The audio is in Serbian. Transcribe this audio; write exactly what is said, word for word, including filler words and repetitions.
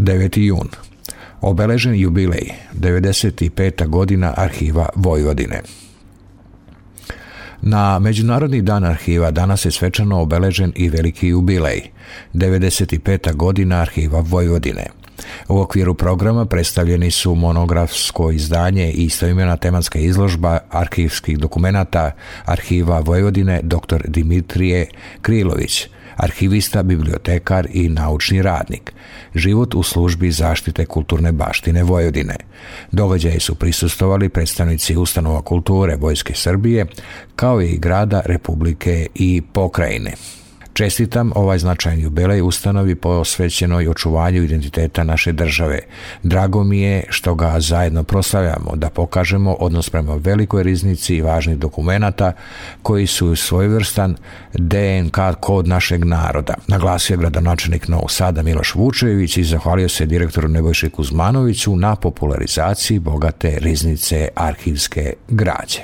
deveti jun. Obeležen jubilej, devedeset peta godina Arhiva Vojvodine. Na Međunarodni dan arhiva danas je svečano obeležen i veliki jubilej, devedeset peta godina Arhiva Vojvodine. U okviru programa predstavljeni su monografsko izdanje i istoimena tematska izložba arhivskih dokumenata Arhiva Vojvodine dr. Dimitrije Krilović, arhivista, bibliotekar i naučni radnik. Život u službi zaštite kulturne baštine Vojvodine. Događaji su prisustvovali predstavnici ustanova kulture Vojske Srbije, kao i grada, Republike i pokrajine. Čestitam ovaj značajan jubilej ustanovi posvećenoj očuvanju identiteta naše države. Drago mi je što ga zajedno proslavljamo, da pokažemo odnos prema velikoj riznici i važnih dokumenata koji su svojevrstan de en ka kod našeg naroda. Naglasio je gradonačelnik Novog Sada Miloš Vučević i zahvalio se direktoru Nebojši Kuzmanoviću na popularizaciji bogate riznice arhivske građe.